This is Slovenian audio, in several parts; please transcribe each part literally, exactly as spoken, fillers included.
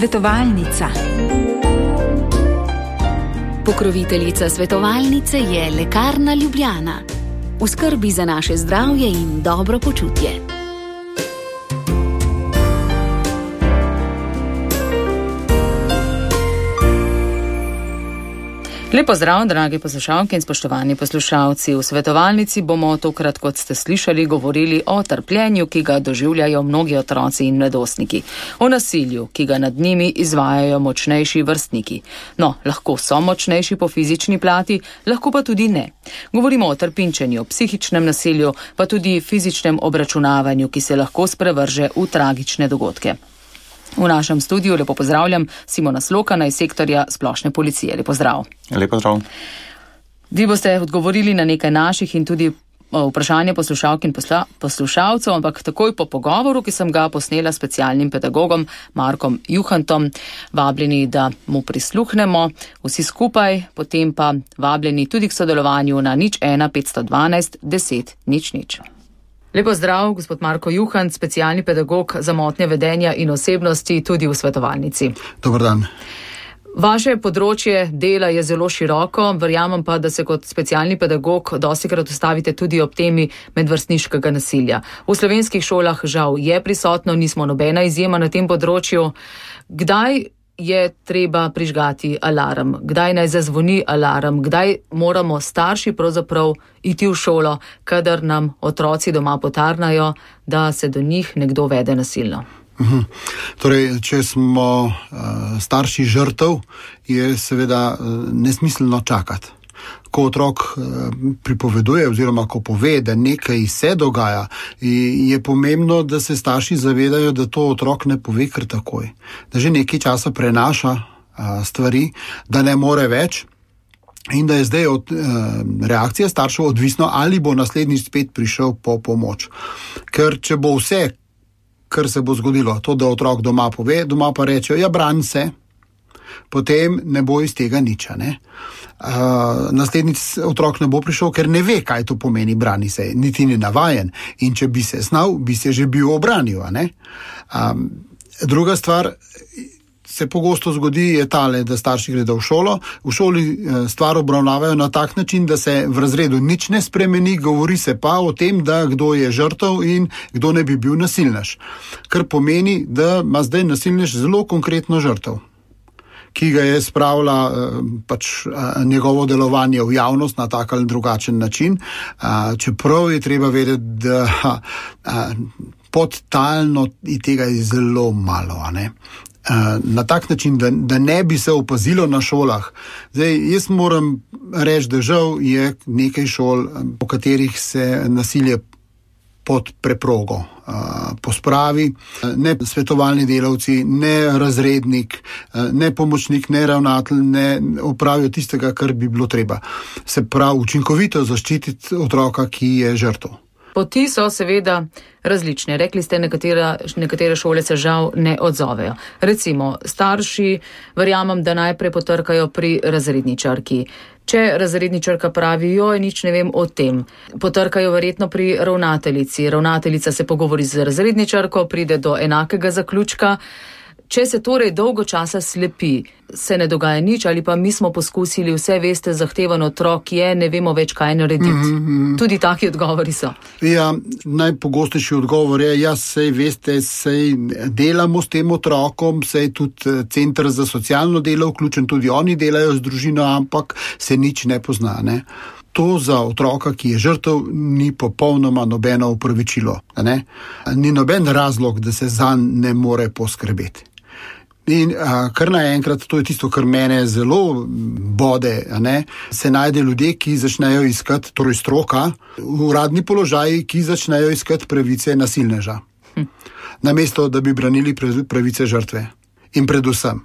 Svetovalnica. Pokroviteljica svetovalnice je Lekarna Ljubljana. V skrbi za naše zdravje in dobro počutje. Lepo zdrav, dragi poslušalke in spoštovani poslušalci. V svetovalnici bomo tokrat, kot ste slišali, govorili o trpljenju, ki ga doživljajo mnogi otroci in mladostniki. O nasilju, ki ga nad njimi izvajajo močnejši vrstniki. No, lahko so močnejši po fizični plati, lahko pa tudi ne. Govorimo o trpinčenju, psihičnem nasilju, pa tudi fizičnem obračunavanju, ki se lahko sprevrže v tragične dogodke. V našem studiu lepo pozdravljam Simona Slokana iz sektorja splošne policije. Lepo zdrav. Lepo zdrav. Vi boste odgovorili na nekaj naših in tudi vprašanje poslušalk in posla, poslušalcev, ampak takoj po pogovoru, ki sem ga posnela s specialnim pedagogom Markom Juhantom, vabljeni, da mu prisluhnemo vsi skupaj, potem pa vabljeni tudi k sodelovanju na nič ena petsto dvanajst deset nič nič. Lepo zdrav, gospod Marko Juhant, specialni pedagog za motnje vedenja in osebnosti tudi v svetovalnici. Dobar dan. Vaše področje dela je zelo široko, verjamem pa, da se kot specialni pedagog dostikrat ustavite tudi ob temi medvrstniškega nasilja. V slovenskih šolah žal je prisotno, nismo nobena izjema na tem področju. Kdaj je treba prižgati alarm? Kdaj naj zazvoni alarm? Kdaj moramo starši pravzaprav iti v šolo, kadar nam otroci doma potarnajo, da se do njih nekdo vede nasilno? Uhum. Torej, če smo uh, starši žrtev, je seveda uh, nesmiselno čakati. Ko otrok pripoveduje oziroma ko pove, da nekaj se dogaja, je pomembno, da se starši zavedajo, da to otrok ne pove kar takoj. Da že nekaj časa prenaša stvari, da ne more več in da je zdaj od reakcije staršev odvisno, ali bo naslednjič spet prišel po pomoč. Ker če bo vse, kar se bo zgodilo, to, da otrok doma pove, doma pa reče, ja, brani se, potem ne bo iz tega nič, ne? Uh, naslednjič otrok ne bo prišel, ker ne ve, kaj to pomeni brani se, niti ni navajen. In če bi se znal, bi se že bil obranil, ne? Um, druga stvar se pogosto zgodi je tale, da starši gredo v šolo, v šoli stvar obravnavajo na tak način, da se v razredu nič ne spremeni, govori se pa o tem, da kdo je žrtev in kdo ne bi bil nasilnež. Kar pomeni, da ima zdaj nasilnež zelo konkretno žrtev, ki ga je spravila pač njegovo delovanje v javnost na tak ali drugačen način, čeprav je treba vedeti, da podtalno tega je zelo malo, ne? Na tak način, da, da ne bi se opazilo na šolah. Zdaj, jaz moram reči, da žal je nekaj šol, po katerih se nasilje pod preprogo uh, pospravi. Ne svetovalni delavci, ne razrednik, uh, ne pomočnik, ne ravnatelj ne opravijo tistega, kar bi bilo treba. Se pravi, učinkovito zaščititi otroka, ki je žrtev. Poti so seveda različne. Rekli ste, nekatera, nekatere šole se žal ne odzovejo. Recimo, starši verjamem, da najprej potrkajo pri razredničarki. Če razredničarka pravi, joj, nič ne vem o tem, potrkajo verjetno pri ravnateljici. Ravnateljica se pogovori z razredničarko, pride do enakega zaključka. Če se torej dolgo časa slepi, se ne dogaja nič, ali pa mi smo poskusili, vse veste, zahtevan otrok je, ne vemo več, kaj narediti. Mm-hmm. Tudi taki odgovori so. Ja, najpogostejši odgovor je, ja, sej veste, sej delamo s tem otrokom, sej tudi Center za socialno delo vključen, tudi oni delajo z družino, ampak se nič ne pozna, ne. To za otroka, ki je žrtev, ni popolnoma nobeno upravičilo, ne. Ni noben razlog, da se zanj ne more poskrbeti. In a, kar naenkrat, to je tisto, kar mene zelo bode, a ne, se najde ljudje, ki začnejo iskati, torej stroka, uradni položaji, ki začnejo iskati pravice nasilneža. Hm. Namesto, da bi branili pravice žrtve. In predvsem,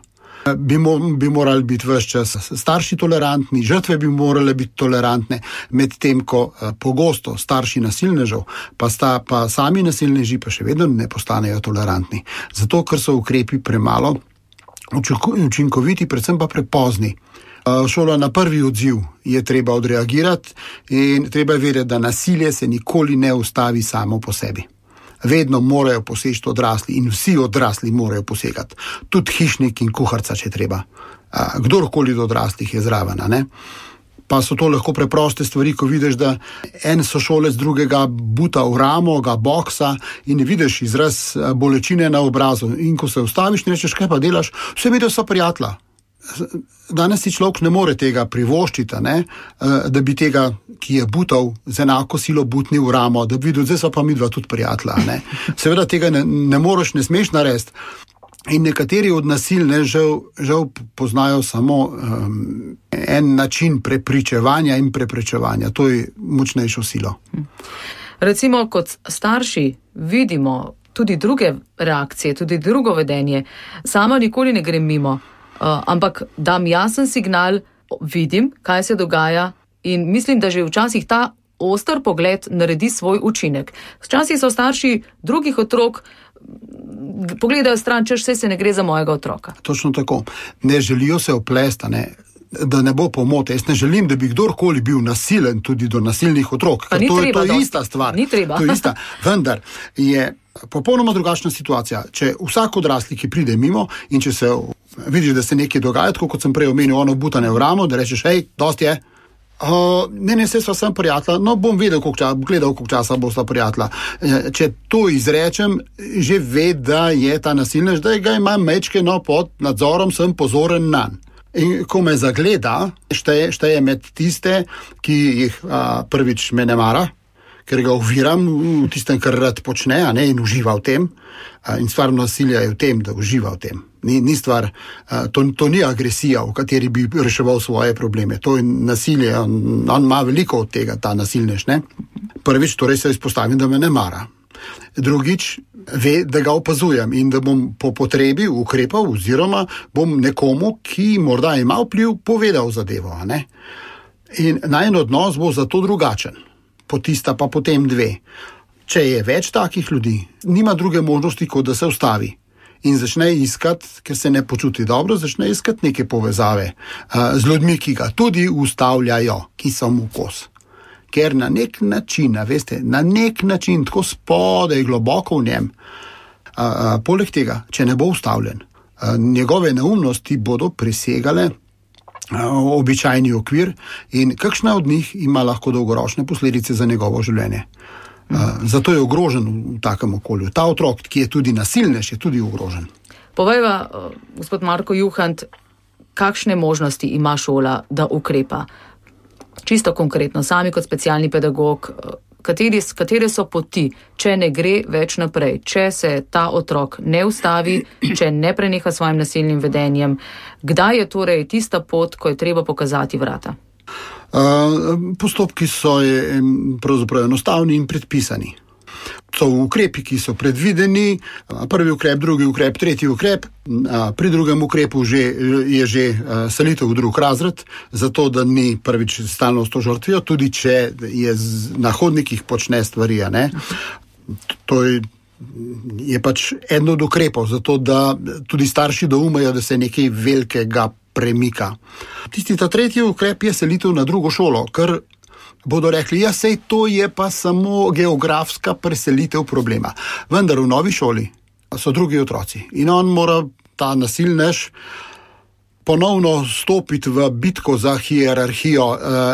bi, mo, bi morali biti ves čas starši tolerantni, žrtve bi morale biti tolerantne, med tem, ko a, pogosto starši nasilnežev, pa, sta, pa sami nasilneži pa še vedno ne postanejo tolerantni. Zato, ker so ukrepi premalo učinkoviti, predvsem pa prepozni. Šola na prvi odziv je treba odreagirati in treba je vedeti, da nasilje se nikoli ne ustavi samo po sebi. Vedno morajo poseči odrasli in vsi odrasli morajo posegati. Tudi hišnik in kuharca, če treba. Kdorkoli od odraslih je zraven, ne? Pa so to lahko preproste stvari, ko vidiš, da en sošolec drugega buta v ramo, ga boksa in vidiš izraz bolečine na obrazu. In ko se ustaviš in rečeš, kaj pa delaš, vse vidijo so prijatelja. Danes si človek ne more tega privoščiti, ne? Da bi tega, ki je butal z enako silo butni v ramo, da bi videl, zdaj so pa midva tudi prijatelja. Ne? Seveda tega ne, ne moreš, ne smeš narediti. In nekateri od nasilj ne, žal, žal poznajo samo um, en način prepričevanja in preprečevanja. To je močnejšo silo. Recimo, kot starši vidimo tudi druge reakcije, tudi drugo vedenje. Sama nikoli ne grem mimo, uh, ampak dam jasen signal, vidim, kaj se dogaja in mislim, da že včasih ta oster pogled naredi svoj učinek. Včasih so starši drugih otrok pogledajo stran, češ vse se ne gre za mojega otroka. Točno tako. Ne želijo se oplesta, ne, da ne bo pomote. Jaz ne želim, da bi kdorkoli bil nasilen tudi do nasilnih otrok. Pa ni to, treba, to je ista stvar. Ni treba. To je ista. Vendar je popolnoma drugačna situacija. Če vsak odrasli, ki pride mimo in če se vidiš, da se nekaj dogaja, tako kot sem prej omenil, ono butane v ramo, da rečeš, hej, dosti je. Uh, ne, ne, se sva sem prijatelja, no bom vedel, koliko časa, gledal, koliko časa bo sta prijatelja. Če to izrečem, že ve, da je ta nasilnež, da ga imam mečkeno pod nadzorom, sem pozoren nanj. In ko me zagleda, šteje, šteje med tiste, ki jih a, prvič me ne mara, ker ga oviram v tistem, kar rad počne, a ne, in uživa v tem. A, in stvar nasilja je v tem, da uživa v tem. Ni, ni stvar, a, to, to ni agresija, v kateri bi reševal svoje probleme. To je nasilje, on, on ima veliko od tega, ta nasilnež, ne. Prvič, torej se izpostavim, da me ne mara. Drugič, ve, da ga opazujem in da bom po potrebi ukrepal oziroma bom nekomu, ki morda ima vpliv, povedal zadevo, a ne. In najin odnos bo zato drugačen. Potista pa potem dve. Če je več takih ljudi, nima druge možnosti, kot da se ustavi in začne iskati, ker se ne počuti dobro, začne iskati neke povezave uh, z ljudmi, ki ga tudi ustavljajo, ki so mu kos. Ker na nek način, veste, na nek način, tako spodaj, globoko v njem, uh, uh, poleg tega, če ne bo ustavljen, uh, njegove neumnosti bodo presegale običajni okvir in kakšna od njih ima lahko dolgoročne posledice za njegovo življenje. Uh, zato je ogrožen v takem okolju. Ta otrok, ki je tudi nasilnež, je tudi ogrožen. Povejva, uh, gospod Marko Juhant, kakšne možnosti ima šola, da ukrepa? Čisto konkretno, sami kot specialni pedagog, uh, kateri, katere so poti, če ne gre več naprej, če se ta otrok ne ustavi, če ne preneha svojim nasilnim vedenjem, kdaj je torej tista pot, ko je treba pokazati vrata? Uh, postopki so je, pravzaprav enostavni in predpisani. So ukrepi, ki so predvideni, prvi ukrep, drugi ukrep, tretji ukrep. Pri drugem ukrepu že, je že selitev v drug razred, zato da ni prvič stalno s to žrtvijo, tudi če je na hodnikih počne stvari. Ne? To je, je pač eno od ukrepov, zato da tudi starši doumejo, da se nekaj velikega premika. Tisti ta tretji ukrep je selitev na drugo šolo, ker bodo rekli, ja, sej to je pa samo geografska preselitev problema. Vendar v novi šoli so drugi otroci in on mora, ta nasilnež, ponovno stopiti v bitko za hierarhijo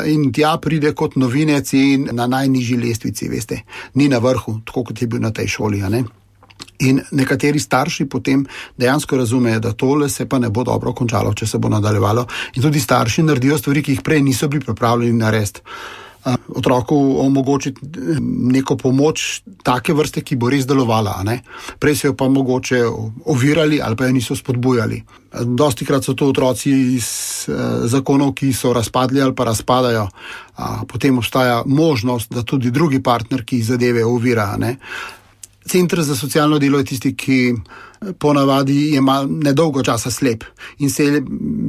in tja pride kot novinec in na najnižji lestvici, veste, ni na vrhu, tako kot je bil na tej šoli, a ne? In nekateri starši potem dejansko razumejo, da tole se pa ne bo dobro končalo, če se bo nadaljevalo. In tudi starši naredijo stvari, ki jih prej niso bili pripravljeni narediti. Otroku omogočiti neko pomoč take vrste, ki bo res delovala, a ne? Prej se jo pa mogoče ovirali ali pa jo niso spodbujali. Dostikrat so to otroci iz eh, zakonov, ki so razpadli ali pa razpadajo. A, potem obstaja možnost, da tudi drugi partner, ki zadeve ovira, a ne? Center za socialno delo je tisti, ki ponavadi ima nedolgo časa slep in se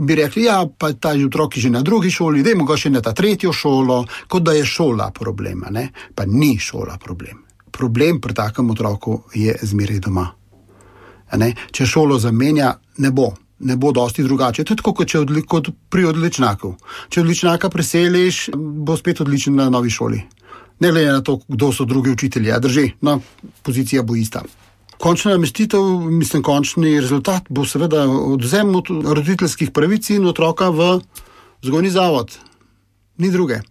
bi rekli, ja, pa ta otrok je že na drugi šoli, dajmo ga še na ta tretjo šolo, kot da je šola problem, ne? Pa ni šola problem. Problem pri takem otroku je zmeraj doma. Ne? Če šolo zamenja, ne bo. Ne bo dosti drugače. To je tako, kot, če odli, kot pri odličnaku. Če odličnaka preseliš, bo spet odličen na novi šoli. Ne glede na to, kdo so drugi učitelji, a drži, no, pozicija bo ista. Končna namestitev, mislim, končni rezultat bo seveda odvzem roditeljskih pravic in otroka v vzgojni zavod. Ni druge.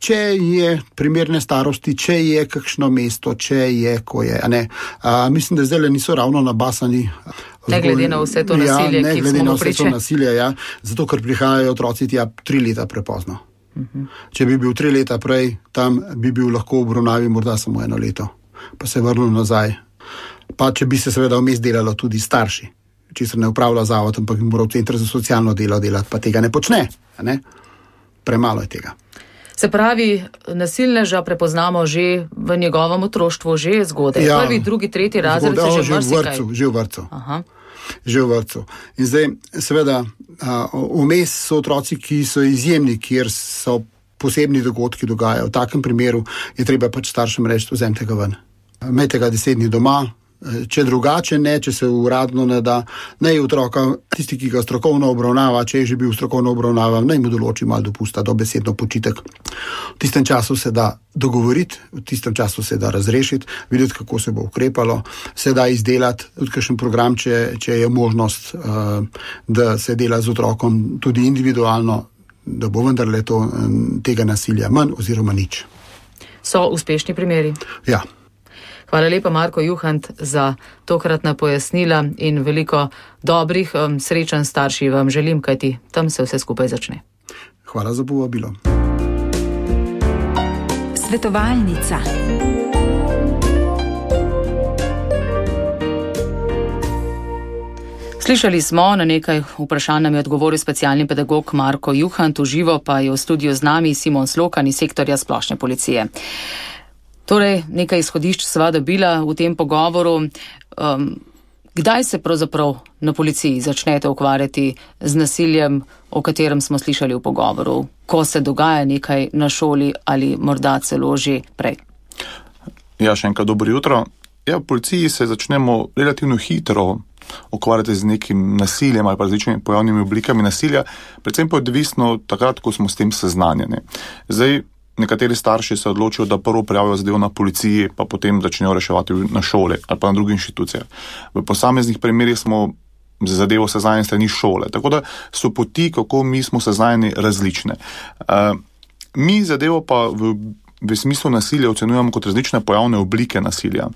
Če je primerne starosti, če je kakšno mesto, če je, ko je, a ne. A, mislim, da zdaj niso ravno nabasani. Ne glede na vse to nasilje, ja, ki smo mu priče. Nasilje, ja, zato, ker prihajajo otroci tja tri leta prepozno. Uh-huh. Če bi bil tri leta prej, tam bi bil lahko v obravnavi morda samo eno leto, pa se vrnil nazaj. Pa če bi se seveda vmes delalo tudi starši, česar ne upravlja zavod, ampak bi moral center za socialno delo delati, pa tega ne počne. Ne? Premalo je tega. Se pravi, nasilneža prepoznamo že v njegovem otroštvu, že zgodaj. Ja, prvi, drugi, tretji razred se že marsikaj. Že v vrtcu. Aha. Že v vrtcu. In zdaj, seveda, vmes so otroci, ki so izjemni, kjer so posebni dogodki dogajajo. V takem primeru je treba pač staršem reči, vzemite ga ven. Imejte ga deset dni doma, če drugače ne, če se uradno ne da, naj otroka, tisti, ki ga strokovno obravnava, če je že bil strokovno obravnavan, naj mu določi malo dopusta, dobesedno počitek. V tistem času se da dogovoriti, v tistem času se da razrešiti, videti, kako se bo ukrepalo, se da izdelati tudi kakšen program, če, če je možnost, da se dela z otrokom tudi individualno, da bo vendarle to, tega nasilja manj oziroma nič. So uspešni primeri? Ja. Hvala lepa, Marko Juhant, za tokratna pojasnila in veliko dobrih um, srečanj starši vam želim, kajti tam se vse skupaj začne. Hvala za povabilo. Svetovalnica. Slišali smo, na nekaj vprašanj nam je odgovoril specialni pedagog Marko Juhant, v živo pa je v studiu z nami Simon Slokan iz sektorja splošne policije. Torej, nekaj izhodišč sva dobila v tem pogovoru. Um, kdaj se pravzaprav na policiji začnete ukvarjati z nasiljem, o katerem smo slišali v pogovoru? Ko se dogaja nekaj na šoli ali morda celo že prej? Ja, še enkrat dobro jutro. Ja, v policiji se začnemo relativno hitro ukvarjati z nekim nasiljem ali pa različnimi pojavnimi oblikami nasilja, predvsem pa odvisno takrat, ko smo s tem seznanjeni. Zdaj, nekateri starši se odločijo, da prvo prijavijo zadevo na policiji, pa potem začnejo reševati na šole ali pa na drugih inštitucijah. V posameznih primerih smo za zadevo seznanjeni strani šole, tako da so poti, kako mi smo seznanjeni, različne. Uh, mi zadevo pa v, v smislu nasilja ocenjujemo kot različne pojavne oblike nasilja.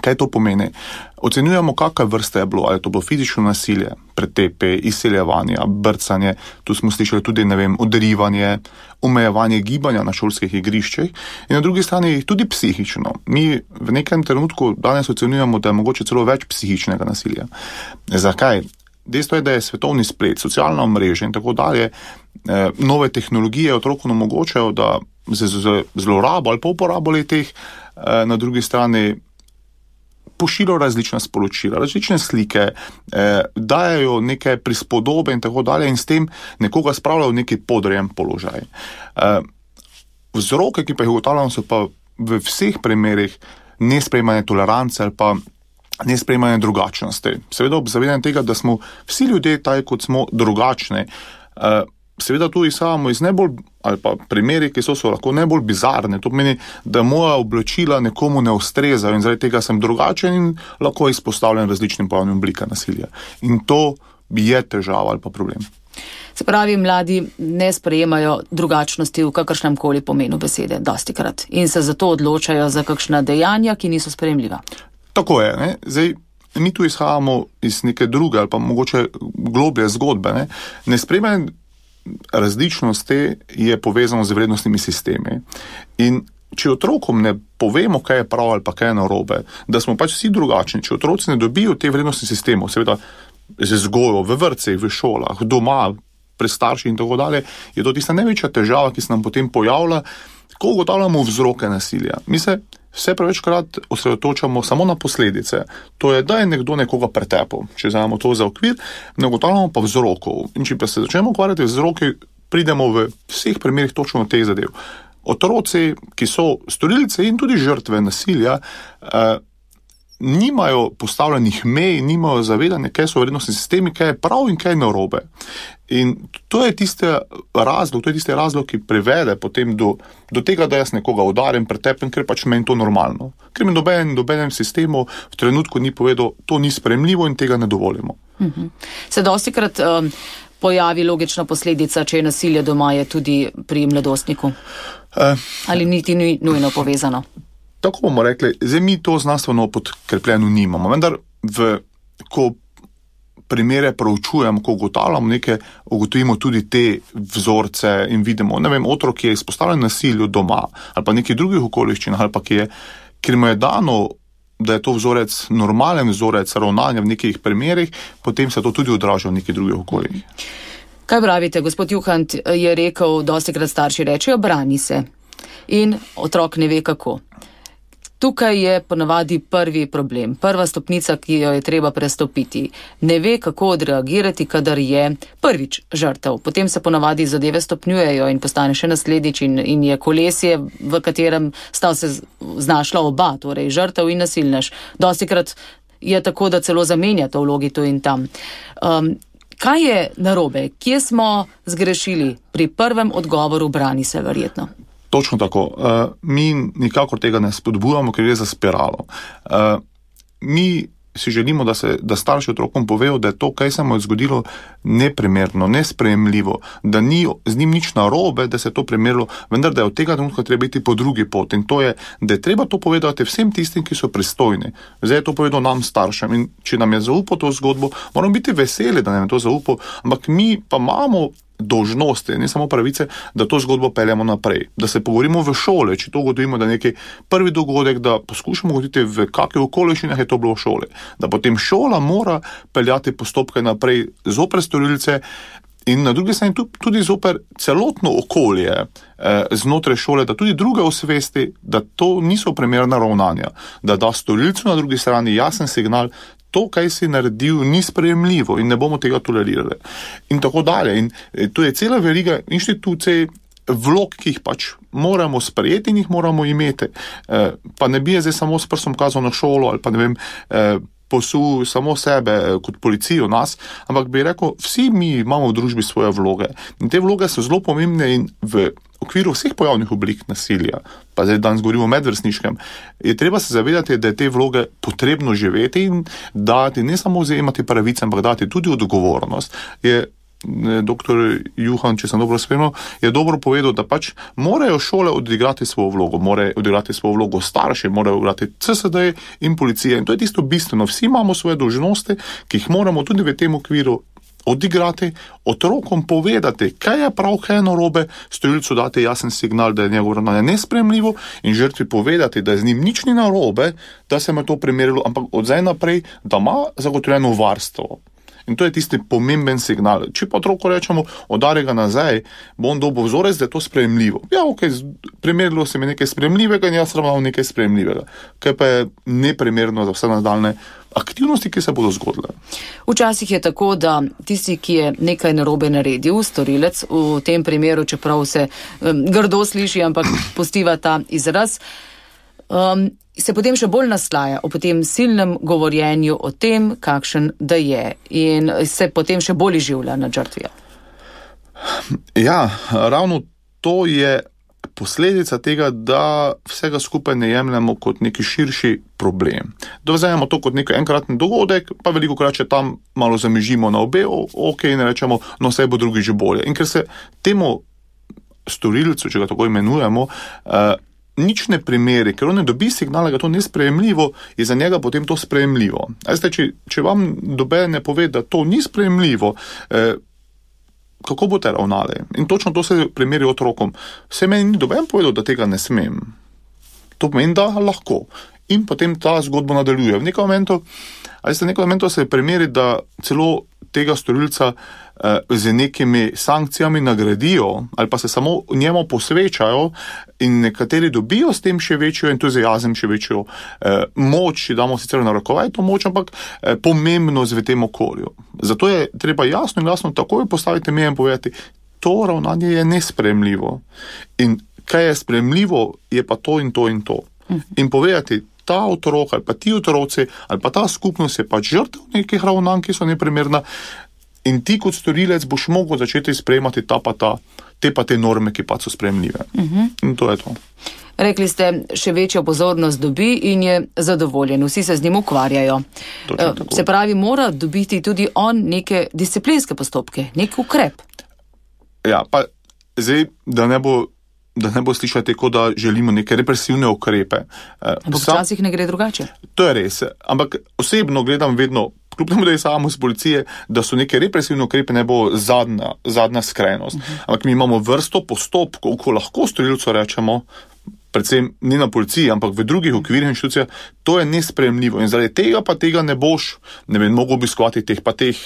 Kaj to pomeni? Ocenjujemo, kakšna vrsta je bilo, ali je to bilo fizično nasilje, pretepe, izsiljevanje, brcanje, tu smo slišali tudi, ne vem, udarivanje, omejevanje gibanja na šolskih igriščih in na drugi strani tudi psihično. Mi v nekem trenutku danes ocenjujemo, da je mogoče celo več psihičnega nasilja. Zakaj? Dejstvo je, da je svetovni splet, socialna mreža in tako dalje, eh, nove tehnologije otrokom omogočajo, da z, z zlorabo ali pa uporabo teh eh, na drugi strani pošiljajo različna sporočila, različne slike, eh, dajajo neke prispodobe in tako dalje in s tem nekoga spravljajo v neki podrejen položaj. Eh, vzroke, ki pa jih ugotavljamo, so pa v vseh primerih nesprejemanje tolerance ali pa nesprejemanje drugačnosti. Seveda ob zavedanju tega, da smo vsi ljudje taj, kot smo drugačni. Eh, Seveda tu izhajamo iz najbolj, ali pa primeri, ki so, so lahko najbolj bizarne. To pomeni, da moja oblačila nekomu ne ustrezajo in zaradi tega sem drugačen in lahko izpostavljen različnim pojavnim oblikam nasilja. In to je težava ali pa problem. Se pravi, mladi ne sprejemajo drugačnosti v kakršnem koli pomenu besede, dostikrat. In se zato odločajo za kakšna dejanja, ki niso sprejemljiva. Tako je, ne? Zdaj, mi tu izhajamo iz neke druge ali pa mogoče globlje zgodbe. Ne, ne sprejemanje različnosti je povezano z vrednostnimi sistemi. In če otrokom ne povemo, kaj je prav ali pa kaj je narobe, da smo pač vsi drugačni, če otroci ne dobijo te vrednostni sistemov, seveda z vzgojo v vrtcih, v šolah, doma, pri starših in tako dalje, je to tista največja težava, ki se nam potem pojavlja, ko ugotavljamo vzroke nasilja. Mi se vse prevečkrat osredotočamo samo na posledice. To je, da je nekdo nekoga pretepel. Če vzamemo to za okvir, ne ugotavljamo pa vzrokov. In če pa se začnemo ukvarjati z vzroki, pridemo v vseh primerih točno teh zadev. Otroci, ki so storilci in tudi žrtve nasilja, eh, nimajo postavljenih mej, nimajo zavedanja, kaj so vrednostni sistemi, kaj je prav in kaj je narobe. In to je tiste razlog, to je tiste razlog, ki privede potem do, do tega, da jaz nekoga udarim, pretepem, ker pač meni to normalno. Ker mi doben, dobenem sistemu v trenutku ni povedal, to ni sprejemljivo in tega ne dovolimo. Uh-huh. Se dostikrat um, pojavi logična posledica, če je nasilje doma, je tudi pri mladostniku? Uh, Ali niti ni nujno povezano? Tako bomo rekli, zdaj mi to znanstveno podkrepljeno nimamo, vendar v, ko primere proučujemo, ko ugotavljamo nekaj, ugotovimo tudi te vzorce in vidimo, ne vem, otrok, ki je izpostavljen nasilju doma ali pa nekih drugih okoliščinah ali pa ki je, ker mu je dano, da je to vzorec, normalen vzorec ravnanja v nekih primerih, potem se to tudi odraža v nekih drugih okoljih. Kaj pravite, gospod Juhant je rekel, dostikrat starši rečejo, brani se in otrok ne ve kako. Tukaj je ponavadi prvi problem, prva stopnica, ki jo je treba prestopiti. Ne ve, kako odreagirati, kadar je prvič žrtev. Potem se ponavadi zadeve stopnjujejo in postane še naslednjič in, in je kolesje, v katerem sta se znašla oba, torej žrtev in nasilnež. Dostikrat je tako, da celo zamenjata vlogi tu in tam. Um, kaj je narobe? Kje smo zgrešili pri prvem odgovoru, brani se verjetno? Točno tako. Uh, mi nikakor tega ne spodbujamo, ker je za spiralo. Uh, mi si želimo, da, se, da starši otrokom povejo, da je to, kaj se mu je zgodilo, neprimerno, nesprejemljivo, da ni z njim nič narobe, da se je to primerilo, vendar da je od tega trenutka treba biti po drugi poti. In to je, da je treba to povedati vsem tistim, ki so pristojni. Zdaj je to povedal nam staršem in če nam je zaupal to zgodbo, moramo biti veseli, da nam je to zaupal, ampak mi pa imamo dolžnosti, ne samo pravice, da to zgodbo peljamo naprej. Da se pogovorimo v šole, če to ugotovimo, da nekaj prvi dogodek, da poskušamo ugotoviti, v kakih okoliščinah je to bilo v šoli. Da potem šola mora peljati postopke naprej zoper storilce in na drugi strani tudi zoper celotno okolje eh, znotraj šole, da tudi druge osvesti, da to niso primerna ravnanja. Da da storilcu na drugi strani jasen signal, to, kaj si naredil, ni sprejemljivo in ne bomo tega tolerirali. In tako dalje. In to je cela veriga inštitucij, vlog, ki jih pač moramo sprejeti in jih moramo imeti. Eh, pa ne bi je zdaj samo s prstom kazal na šolo ali pa ne vem, eh, posul samo sebe kot policijo nas, ampak bi rekel, vsi mi imamo v družbi svoje vloge. In te vloge so zelo pomembne in v okviru vseh pojavnih oblik nasilja, pa zdaj danes govorimo o medvrstniškem, je treba se zavedati, da je te vloge potrebno živeti in dati, ne samo vzajemati pravice, ampak dati tudi odgovornost. Je doktor Juhan, če sem dobro spremljal, je dobro povedal, da pač morajo šole odigrati svojo vlogo, morajo odigrati svojo vlogo starši, morajo odigrati C S D in policija. In to je tisto bistveno. Vsi imamo svoje dolžnosti, ki jih moramo tudi v tem okviru odigrati, otrokom povedati, kaj je prav, kaj je narobe, storilcu dati jasen signal, da je njegovo ravnanje nesprejemljivo in žrtvi povedati, da z njim nič ni narobe, da se mu to primerilo, ampak od zdaj naprej, da ima zagotovljeno varstvo. In to je tisti pomemben signal. Če pa otroku rečemo, odari ga nazaj, bo on dobil vzorec, da je to sprejemljivo. Ja, ok, primerilo se mi nekaj sprejemljivega in jaz ravnal nekaj sprejemljivega. Kaj pa je neprimerno za vse nadaljne aktivnosti, ki se bodo zgodile. Včasih je tako, da tisti, ki je nekaj narobe naredil, storilec, v tem primeru, čeprav se um, grdo sliši, ampak postiva ta izraz, um, se potem še bolj naslaja o potem silnem govorjenju o tem, kakšen da je in se potem še bolj izživlja nad žrtvijo. Ja, ravno to je posledica tega, da vsega skupaj ne jemljamo kot neki širši problem. Da vzajemo to kot nekaj enkratni dogodek, pa veliko krat, če tam malo zamižimo na obe, ok, in rečemo, no vse bo drugi že bolje. In ker se temu storilcu, če ga tako imenujemo, uh, nič ne primeri, ker on ne dobi signala, da to nesprejemljivo, je za njega potem to sprejemljivo. Zdaj, če, če vam doben ne pove, da to ni sprejemljivo, eh, kako boste ravnali? In točno to se primeri otrokom. Vse meni ni doben povedal, da tega ne smem. To pomeni, da lahko. In potem ta zgodba nadaljuje. V nekem momentu, ali v nekem momentu se primeri, da celo tega storilca eh, z nekimi sankcijami nagradijo ali pa se samo njemu posvečajo in nekateri dobijo s tem še večjo entuzijazem, še večjo eh, moč, damo sicer narekovaj to moč, ampak eh, pomembnost v tem okolju. Zato je treba jasno in jasno takoj postaviti meje in povedati, to ravnanje je nesprejemljivo. In kaj je sprejemljivo, je pa to in to in to. In povedati, ta otrok ali pa ti otroci ali pa ta skupnost je pač žrtev nekih ravnanj, ki so neprimerna in ti kot storilec boš mogel začeti sprejemati ta pa ta, te pa te norme, ki pa so sprejemljive. Uh-huh. In to je to. Rekli ste, še večjo pozornost dobi in je zadovoljen. Vsi se z njim ukvarjajo. Se pravi, mora dobiti tudi on neke disciplinske postopke, nek ukrep. Ja, pa zdaj, da ne bo, da ne bo slišati, kot da želimo neke represivne ukrepe. Ampak včasih ne gre drugače. To je res. Ampak osebno gledam vedno, kljub temu, da je samo z policije, da so neke represivne ukrepe ne bo zadnja, zadnja skrajnost. Uh-huh. Ampak mi imamo vrsto postopkov, ko lahko storilcu rečemo, predvsem ni na policiji, ampak v drugih okvirih inštitucijah, to je nesprejemljivo. In zaradi tega pa tega ne boš, ne vem, mogel obiskovati teh pa teh,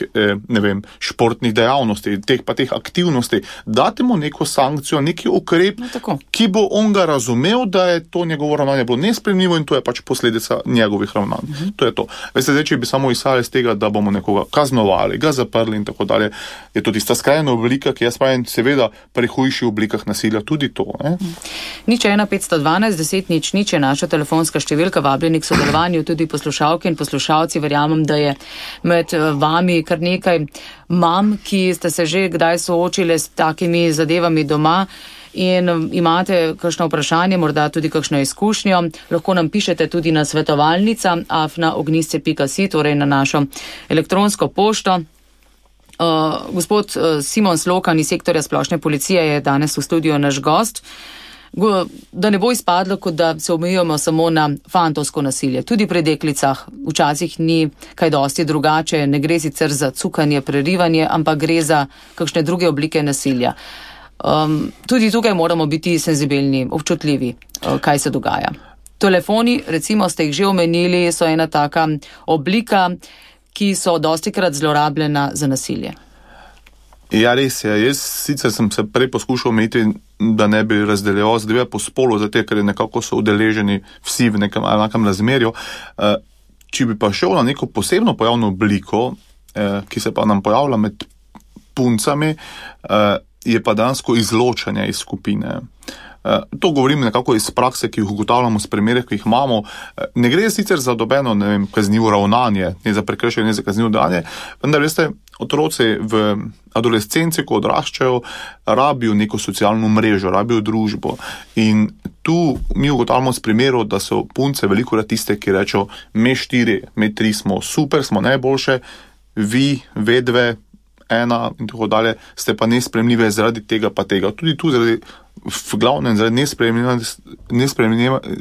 ne vem, športnih dejavnosti, teh pa teh aktivnosti. Date mu neko sankcijo, neki ukrep, no, ki bo on ga razumel, da je to njegovo ravnanje bilo nesprejemljivo in to je pač posledica njegovih ravnanj. Uh-huh. To je to. Veste, zdaj, če bi samo izhajali iz tega, da bomo nekoga kaznovali, ga zaprli in tako dalje, je to tista skrajna oblika, ki jaz pravim, seveda pri hujših oblikah nasilja tudi to. Ne? Nič ena petsto dvanajst deset nič nič je naša telefonska številka, vabljeni k sodelovanju tudi poslušalke in poslušalci. Verjamem, da je med vami kar nekaj mam, ki ste se že kdaj soočile s takimi zadevami doma in imate kakšno vprašanje, morda tudi kakšno izkušnjo. Lahko nam pišete tudi na svetovalnica afna ognjisce pika si, torej na našo elektronsko pošto. Uh, gospod uh, Simon Slokan iz sektorja splošne policije je danes v studiu naš gost. Da ne bo izpadlo, kot da se omejujemo samo na fantovsko nasilje. Tudi pri deklicah včasih ni kaj dosti drugače, ne gre sicer za cukanje, prerivanje, ampak gre za kakšne druge oblike nasilja. Um, tudi tukaj moramo biti senzibilni, občutljivi, uh, kaj se dogaja. Telefoni, recimo ste jih že omenili, so ena taka oblika, ki so dostikrat zlorabljena za nasilje. Ja, res je. Jaz sicer sem se prej poskušal omejiti, da ne bi razdeljeval zadeve po spolu, zato ker je nekako so udeleženi vsi v nekem enakem razmerju. Če bi pa šel na neko posebno pojavno obliko, ki se pa nam pojavlja med puncami, je pa dansko izločanje iz skupine. To govorim nekako iz prakse, ki jih ugotavljamo s primerih, ki jih imamo. Ne gre sicer za dobeno, ne vem, kaznivo ravnanje, ne za prekršenje, ne za kaznivo dejanje, vendar veste, otroci v adolescenci, ko odraščajo, rabijo neko socialno mrežo, rabijo družbo. In tu mi ugotavljamo s primerov, da so punce veliko krat tiste, ki rečejo, me štiri, me tri smo super, smo najboljše, vi, vedve, ena in tako dalje, ste pa nespremljive zaradi tega pa tega. Tudi tu zaradi, v glavnem, zaradi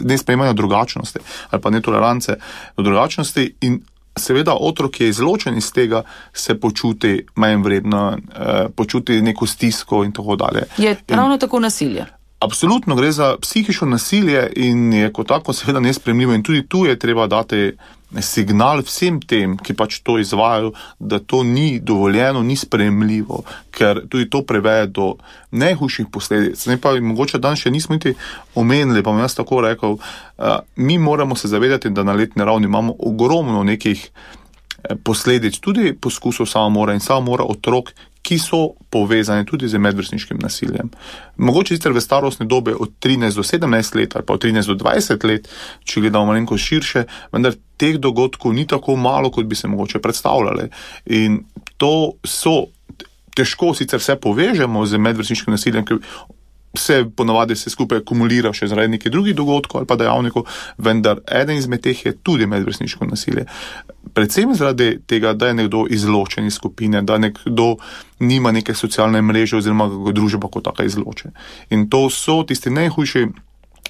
nespremljanja drugačnosti ali pa netolerance do drugačnosti in seveda otrok, ki je izločen iz tega, se počuti manj vredno, eh, počuti neko stisko in tako dalje. Je ravno in, tako nasilje? Absolutno, gre za psihično nasilje in je kot tako seveda nespremljivo in tudi tu je treba dati signal vsem tem, ki pač to izvajajo, da to ni dovoljeno, ni sprejemljivo, ker tudi to priveje do najhujših posledic. Ne pa mogoče danes še nismo niti omenili, pa bom jaz tako rekel, uh, mi moramo se zavedati, da na letni ravni imamo ogromno nekih posledic, tudi poskusov samomora in samomora otrok, ki so povezani tudi z medvrstniškim nasiljem. Mogoče sicer v starostni dobi od trinajst do sedemnajst let ali pa od trinajst do dvajset let, če gledamo malenko širše, vendar teh dogodkov ni tako malo, kot bi se mogoče predstavljali. In to so, težko sicer vse povežemo z medvrstniškim nasiljem, ker se ponavadi se skupaj akumulira še zaradi nekih drugih dogodkov ali pa dejavnikov, vendar eden izmed teh je tudi medvrstniško nasilje. Predvsem zaradi tega, da je nekdo izločen iz skupine, da nekdo nima neke socialne mreže oziroma kako družba kot taka izloče. In to so tisti najhujši,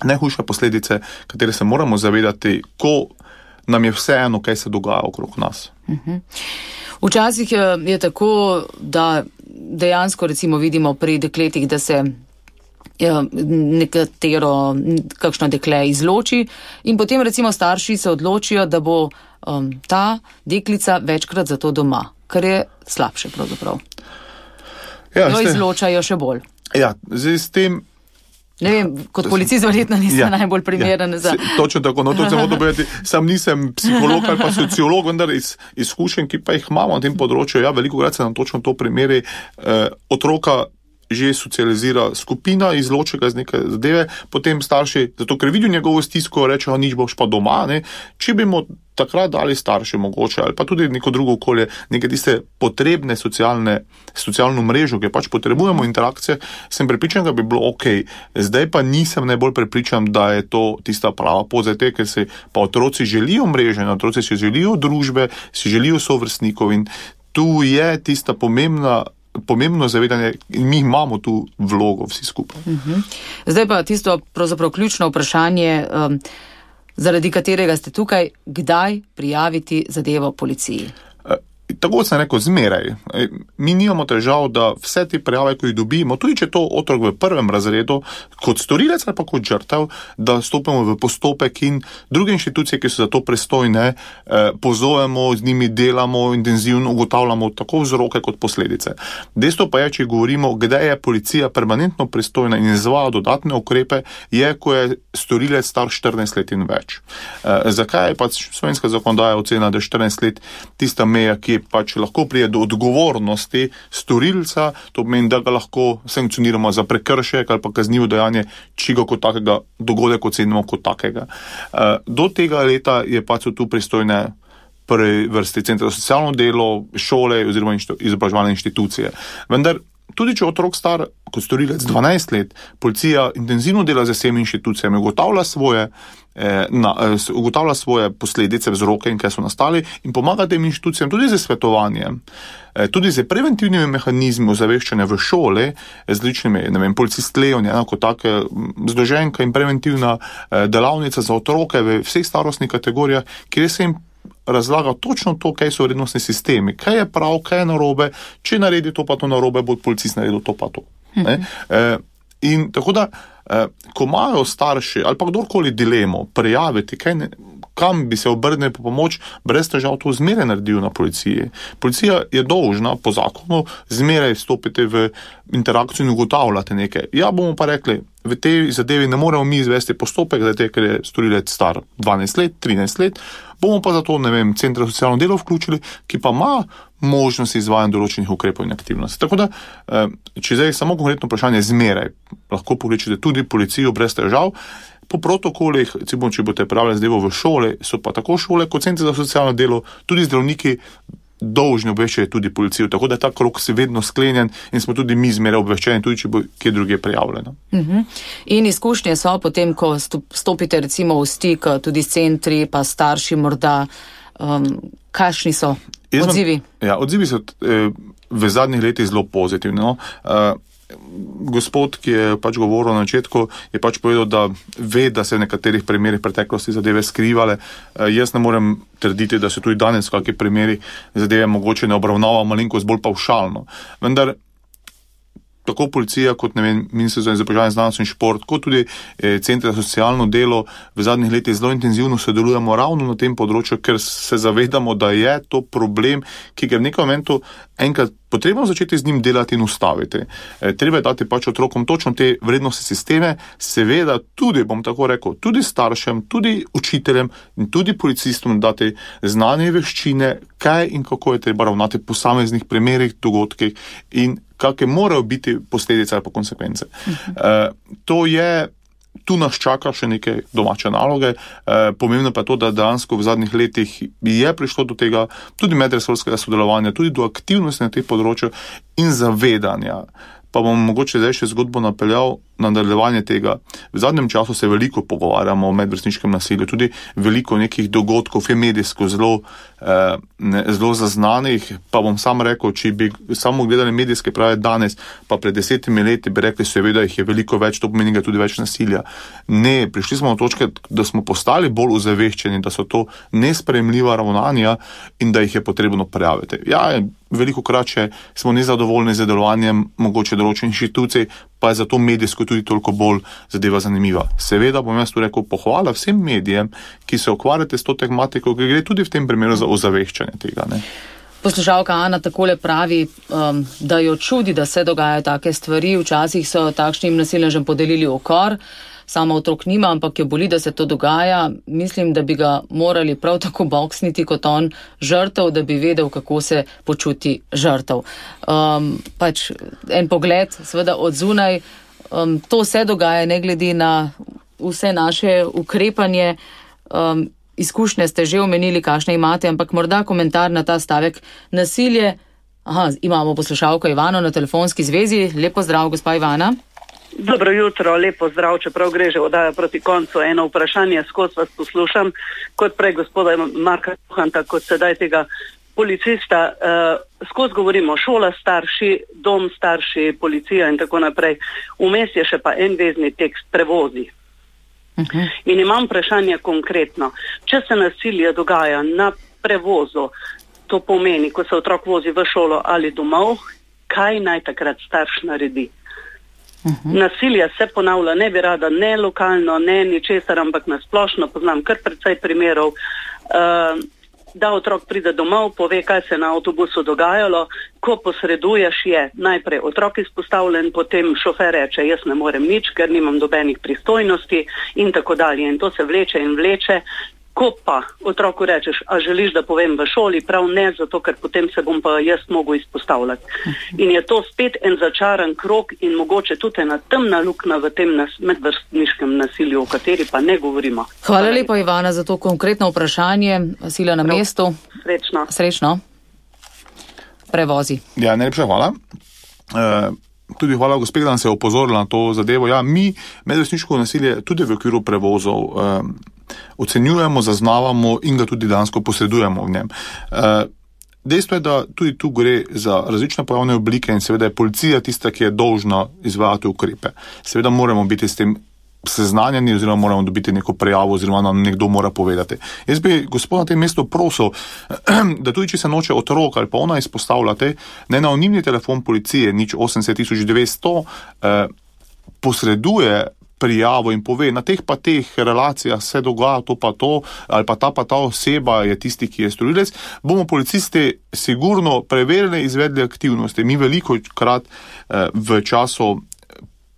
najhujše posledice, katere se moramo zavedati, ko nam je vseeno, kaj se dogaja okrog nas. Uh-huh. Včasih je, je tako, da dejansko recimo vidimo pri dekletih, da se nekatero, kakšno dekle izloči in potem recimo starši se odločijo, da bo um, ta deklica večkrat za to doma, kar je slabše pravzaprav. Ja, jo izločajo še bolj. Ja, zdaj s tem Ne vem, kot policist verjetno nisem ja, najbolj primeren ja, za... Točno tako, no to se moram povedati, sam nisem psiholog ali pa sociolog, vendar iz izkušenj, ki pa jih imamo na tem področju, ja, veliko krat se nam točno to primeri eh, otroka že socializira skupina, izloči ga z neke zadeve, potem starši, zato ker vidijo njegovo stisko, rečejo, nič boš pa doma, ne? Če bi mu takrat dali starši mogoče, ali pa tudi neko drugo okolje, neke tiste potrebne socialne, socialno mrežo, ki pač potrebujemo interakcije, sem prepričan, da bi bilo ok. Zdaj pa nisem najbolj prepričan, da je to tista prava pot, zato ker se pa otroci želijo mreže, otroci si želijo družbe, si želijo sovrstnikov in tu je tista pomembna pomembno zavedanje in mi imamo tu vlogo vsi skupaj. Uh-huh. Zdaj pa tisto pravzaprav ključno vprašanje, um, zaradi katerega ste tukaj, kdaj prijaviti zadevo policiji? Tako sem rekel, zmeraj. Mi nimamo težav, da vse te prijave, ko jih dobimo, tudi če to otrok v prvem razredu, kot storilec ali pa kot žrtev, da stopimo v postopek in druge inštitucije, ki so za to pristojne, pozovemo, z njimi delamo, intenzivno ugotavljamo tako vzroke kot posledice. Dejstvo pa je, če govorimo, kdaj je policija permanentno pristojna in izvaja dodatne ukrepe, je, ko je storilec star štirinajst let in več. Zakaj je pač slovenska zakonodaja ocena, da je štirinajst let tista meja, ki pač lahko prije do odgovornosti storilca, to pomeni, da ga lahko sankcioniramo za prekršek ali pa kaznivo dejanje, či ga kot takega dogodek ocenimo kot takega. Do tega leta je pač tu pristojne prvi vrsti centra za socialno delo, šole oziroma izobraževalne inštitucije. Vendar tudi če otrok star kot storilec dvanajst let, policija intenzivno dela z vsemi inštitucijami, ugotavlja svoje Eh, na, eh, ugotavlja svoje posledice, vzroke in kaj so nastali in pomaga tem inštitucijam tudi z svetovanjem, eh, tudi z preventivnimi mehanizmi ozaveščanja v šole, z ličnimi, ne vem, policistlejo, enako take zloženka in preventivna eh, delavnica za otroke v vseh starostnih kategorijah, kjer se jim razlaga točno to, kaj so vrednostni sistemi, kaj je prav, kaj je narobe, če naredi to pa to narobe, bo policist naredil to pa to. Mhm. Eh, in tako da Eh, ko imajo starši ali pa kdorkoli dilemo prijaviti, kaj ne, kam bi se obrnili po pomoč, brez težav to zmeraj naredijo na policiji. Policija je dolžna po zakonu zmeraj stopiti v interakcijo in ugotavljati nekaj. Ja, bomo pa rekli, v tej zadevi ne moremo mi izvesti postopek, zato ker je storilec star dvanajst let, trinajst let, bomo pa zato, ne vem, centra za socialno delo vključili, ki pa ima možnost izvajanja določenih ukrepov in aktivnosti. Tako da, če zdaj samo konkretno vprašanje, zmeraj lahko pokličete tudi policijo brez težav. Po protokolih, recimo, če boste prijavili zadevo v šole, so pa tako šole kot centri za socialno delo, tudi zdravniki dolžni obveščati tudi policijo, tako da je ta krog se vedno sklenjen in smo tudi mi zmeraj obveščeni, tudi če bo kje druge prijavljeno. Uh-huh. In izkušnje so potem, ko stopite recimo v stik tudi s centri, pa starši morda, um, kakšni so Jaz odzivi? Vam, ja, odzivi so eh, v zadnjih letih zelo pozitivni. No? Uh, Gospod, ki je pač govoril na začetku, je pač povedal, da ve, da se v nekaterih primerih preteklosti zadeve skrivale. E, jaz ne morem trditi, da se tudi danes v kakšni primeri zadeve mogoče ne obravnava malenkost bolj pavšalno. Vendar tako policija kot, ne vem, Ministrstvo za izobraževanje, znanost in šport, kot tudi eh, centri za socialno delo v zadnjih letih zelo intenzivno sodelujemo ravno na tem področju, ker se zavedamo, da je to problem, ki ga v nekem momentu enkrat potrebno začeti z njim delati in ustaviti. E, treba je dati pač otrokom točno te vrednostne sisteme, seveda tudi, bom tako rekel, tudi staršem, tudi učiteljem in tudi policistom dati znanje veščine, kaj in kako je treba ravnati po posameznih primerih, dogodkih in kakšne morajo biti posledice ali pa konsekvence. Uh-huh. E, to je, tu nas čaka še neke domače naloge. E, pomembno pa je to, da dejansko v zadnjih letih je prišlo do tega tudi medresorskega sodelovanja, tudi do aktivnosti na teh področju in zavedanja. Pa bom mogoče zdaj še zgodbo napeljal na nadaljevanje tega. V zadnjem času se veliko pogovarjamo o medvrstniškem nasilju, tudi veliko nekih dogodkov je medijsko zelo, eh, ne, zelo zaznanih, pa bom sam rekel, če bi samo gledali medijske prave danes, pa pred desetimi leti bi rekli, seveda jih je veliko več, to pomeni tudi več nasilja. Ne, prišli smo do točke, da smo postali bolj ozaveščeni, da so to nesprejemljiva ravnanja in da jih je potrebno prijaviti. Ja, veliko krat, če smo nezadovoljni z delovanjem mogoče določenih inštitucij, pa je zato medijsko tudi toliko bolj zadeva zanimiva. Seveda bom jaz tu rekel pohvala vsem medijem, ki se ukvarjate s to tematiko, ki gre tudi v tem primeru za ozaveščanje tega. Ne? Poslušalka Ana takole pravi, um, da jo čudi, da se dogajajo take stvari. Včasih so takšnim nasilnežem podelili ukor. sama otrok nima, ampak jo boli, da se to dogaja. Mislim, da bi ga morali prav tako boksniti kot on žrtev, da bi vedel, kako se počuti žrtev. Um, pač en pogled, seveda od zunaj, um, to se dogaja, ne glede na vse naše ukrepanje. Um, izkušnje ste že omenili, kakšne imate, ampak morda komentar na ta stavek. Nasilje. Aha, imamo poslušalko Ivano na telefonski zvezi. Lepo zdrav, gospa Ivana. Dobro jutro, lepo zdrav, čeprav gre že oddaja proti koncu. Eno vprašanje, skozi vas poslušam, kot prej gospoda Marka Juhanta, kot sedaj tega policista. Uh, skozi govorimo šola, starši, dom, starši, policija in tako naprej. Vmes je še pa en vezni tekst, prevozi. Uh-huh. In imam vprašanje konkretno. Če se nasilje dogaja na prevozu, to pomeni, ko se otrok vozi v šolo ali domov, kaj naj takrat starš naredi? Uh-huh. Nasilje se ponavlja, ne bi rada ne lokalno, ne ničesar, ampak nasplošno poznam kar precej primerov, uh, da otrok pride domov, pove, kaj se na avtobusu dogajalo, ko posreduješ je najprej otrok izpostavljen, potem šofer reče, jaz ne morem nič, ker nimam dobenih pristojnosti in tako dalje. In to se vleče in vleče. Ko pa otroku rečeš, a želiš, da povem v šoli, prav ne, zato ker potem se bom pa jaz mogel izpostavljati. In je to spet en začaran krog in mogoče tudi ena temna luknja v tem nas, medvrstniškem nasilju, o kateri pa ne govorimo. Hvala lepa, Ivana, za to konkretno vprašanje. Sila na prav, mestu. Srečno. Srečno. Prevozi. Ja, najlepša hvala. Uh, Tudi hvala gospe, da nam se je opozorila na to zadevo. Ja, mi medvrstniško nasilje tudi v okviru prevozov um, ocenjujemo, zaznavamo in ga tudi dejansko posredujemo v njem. Uh, dejstvo je, da tudi tu gre za različne pojavne oblike in seveda je policija tista, ki je dolžna izvajati ukrepe. Seveda moramo biti s tem seznanjeni oziroma moramo dobiti neko prijavo oziroma nam nekdo mora povedati. Jaz bi gospod na tem mestu prosil, da tudi če se noče otrok ali pa ona izpostavljate, ne na anonimni telefon policije nič osemdeset tisoč devetsto eh, posreduje prijavo in pove, na teh pa teh relacijah se dogaja to pa to, ali pa ta pa ta oseba je tisti, ki je storilec, bomo policisti sigurno preverili, izvedli aktivnosti. Mi veliko krat eh, v času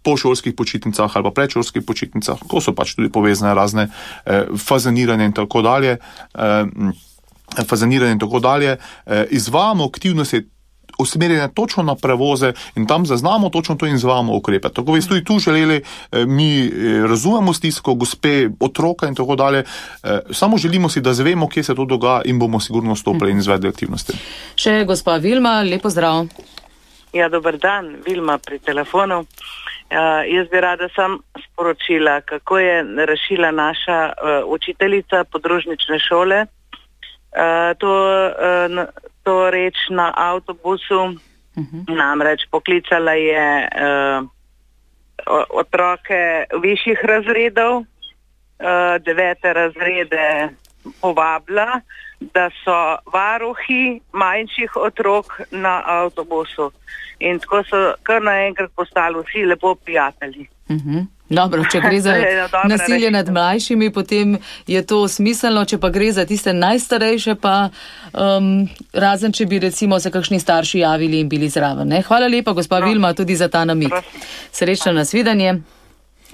po šolskih počitnicah ali pa predšolskih počitnicah, ko so pač tudi povezane razne eh, fazaniranje in tako dalje, eh, fazaniranje in tako dalje, eh, izvajamo aktivnosti usmerjene točno na prevoze in tam zaznamo točno to in izvajamo ukrepe. Tako bi tudi tu želeli, eh, mi eh, razumemo stisko gospe, otroka in tako dalje, eh, samo želimo si, da zvemo, kje se to dogaja in bomo sigurno stopili in izvedli aktivnosti. Še gospa Vilma, lepo zdrav. Ja, dober dan, Vilma pri telefonu. Uh, jaz bi rada sam sporočila, kako je rešila naša uh, učiteljica podružnične šole. Uh, to, uh, to reč na avtobusu, uh-huh. Namreč poklicala je uh, otroke višjih razredov, uh, devete razrede povabila, da so varuhi manjših otrok na avtobusu. In tako so kar naenkrat postali vsi lepo prijatelji. Uh-huh. Dobro, če gre za nasilje nad mlajšimi, potem je to smiselno, če pa gre za tiste najstarejše, pa um, razen če bi recimo se kakšni starši javili in bili zraven. Ne? Hvala lepa, gospa no. Vilma, tudi za ta namig. Srečno nasvidenje.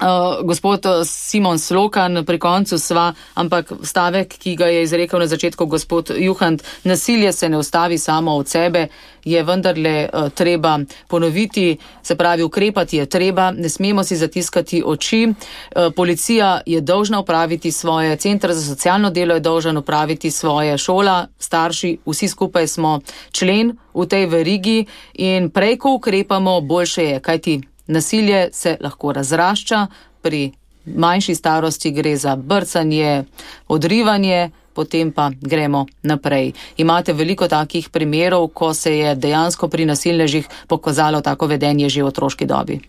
Uh, gospod Simon Slokan, pri koncu sva, ampak stavek, ki ga je izrekel na začetku gospod Juhant, nasilje se ne ustavi samo od sebe, je vendarle uh, treba ponoviti, se pravi, ukrepati je treba, ne smemo si zatiskati oči. Uh, policija je dolžna upraviti svoje, Center za socialno delo je dolžan upraviti svoje, šola, starši, vsi skupaj smo člen v tej verigi in prej, ko ukrepamo, boljše je, kajti nasilje se lahko razrašča, pri manjši starosti gre za brcanje, odrivanje, potem pa gremo naprej. Imate veliko takih primerov, ko se je dejansko pri nasilnežih pokazalo tako vedenje že v otroški dobi?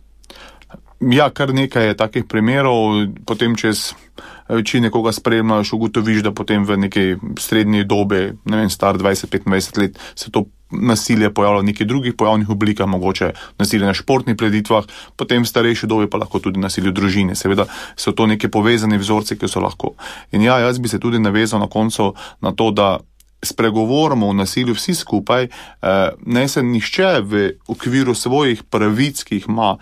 Ja, kar nekaj je takih primerov, potem čez, če nekoga spremljaš, ugotoviš, da potem v neki srednji dobi, ne vem, star dvajset petindvajset let, se to nasilje pojavlja v nekih drugih pojavnih oblikah, mogoče nasilje na športnih preditvah, potem v starejši dobi pa lahko tudi nasilje v družini. Seveda so to neke povezane vzorce, ki so lahko. In ja, jaz bi se tudi navezal na koncu na to, da spregovorimo o nasilju vsi skupaj, ne se nihče v okviru svojih pravic, ki jih ima,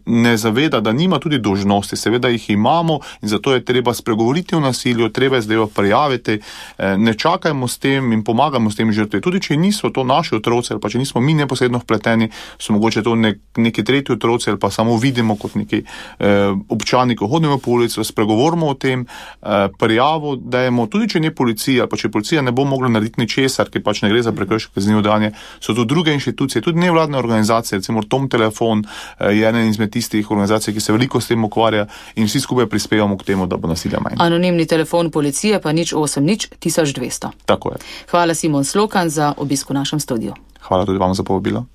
ne zaveda, da nima tudi dolžnosti. Seveda jih imamo in zato je treba spregovoriti o nasilju, treba je zdaj prijaviti, ne čakajmo s tem in pomagamo s tem žrtve. Tudi če niso to naši otroci ali pa če nismo mi neposredno vpleteni, so mogoče to nek, neki tretji otroci ali pa samo vidimo kot neki eh, občani, ko hodimo po ulici, spregovorimo o tem, eh, prijavo dajemo, tudi če ne policija, pa če policija ne bo mogla narediti ničesar, ki pač ne gre za prekršek kaznivo dejanje, so tu druge inštitucije, tudi nevladne organizacije, recimo Tom Telefon eh, je ena izmed tistih organizacij, ki se veliko s tem ukvarja in vsi skupaj prispevamo k temu, da bo nasilja manj. Anonimni telefon policije pa nič osem nič tisoč dvesto. Tako je. Hvala Simon Slokan za obisk v našem studiu. Hvala tudi vam za povabilo.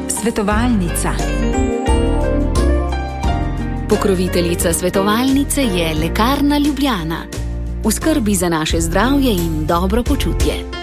Svetovalnica. Pokroviteljica svetovalnice je Lekarna Ljubljana. V skrbi za naše zdravje in dobro počutje.